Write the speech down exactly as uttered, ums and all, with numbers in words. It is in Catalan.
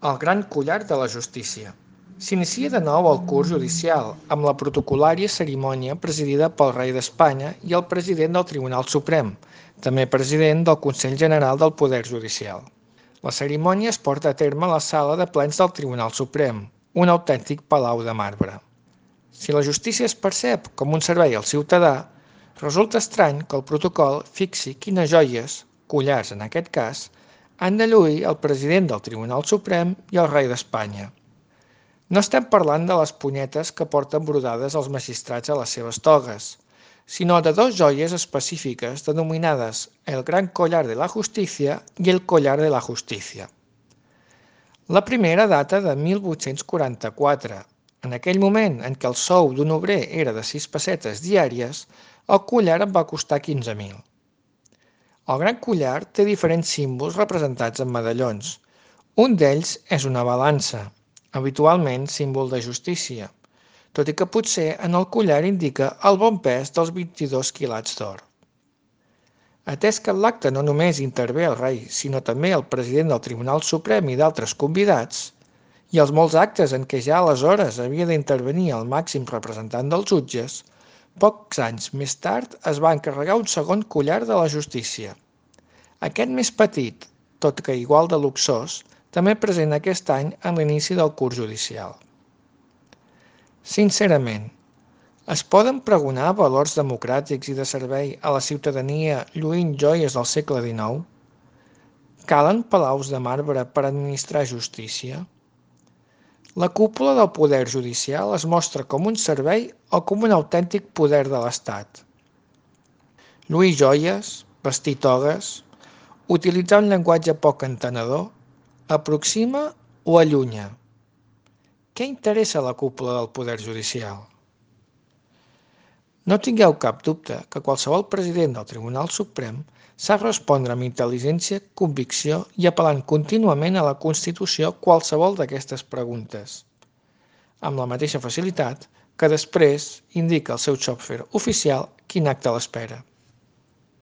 El gran collar de la justícia. S'inicia de nou el curs judicial, amb la protocolària cerimònia presidida pel rei d'Espanya i el president del Tribunal Suprem, també president del Consell General del Poder Judicial. La cerimònia es porta a terme a la sala de plens del Tribunal Suprem, un autèntic palau de marbre. Si la justícia es percep com un servei al ciutadà, resulta estrany que el protocol fixi quines joies, collars en aquest cas, han de lluir el president del Tribunal Suprem i el rei d'Espanya. No estem parlant de les punyetes que porten brodades els magistrats a les seves togues, sinó de dos joies específiques denominades el Gran Collar de la Justicia i el Collar de la Justicia. La primera data de mil vuit-cents quaranta-quatre. En aquell moment en què el sou d'un obrer era de sis pessetes diàries, el collar en va costar quinze mil. El gran collar té diferents símbols representats en medallons. Un d'ells és una balança, habitualment símbol de justícia, tot i que potser en el collar indica el bon pes dels vint-i-dos quilats d'or. Atès que en l'acte no només intervé el rei, sinó també el president del Tribunal Suprem i d'altres convidats, i els molts actes en què ja aleshores havia d'intervenir el màxim representant dels jutges, pocs anys més tard es va encarregar un segon collar de la justícia. Aquest més petit, tot que igual de luxós, també present aquest any en l'inici del curs judicial. Sincerament, es poden pregonar valors democràtics i de servei a la ciutadania lluint joies del segle dinou? Calen palaus de marbre per administrar justícia? La cúpula del poder judicial es mostra com un servei o com un autèntic poder de l'Estat. Lluir joies, vestir togues, utilitzar un llenguatge poc entenedor, aproxima o allunya? Què interessa la cúpula del poder judicial? No tingueu cap dubte que qualsevol president del Tribunal Suprem sap respondre amb intel·ligència, convicció i apel·lant contínuament a la Constitució qualsevol d'aquestes preguntes, amb la mateixa facilitat que després indica al seu xòfer oficial quin acte l'espera.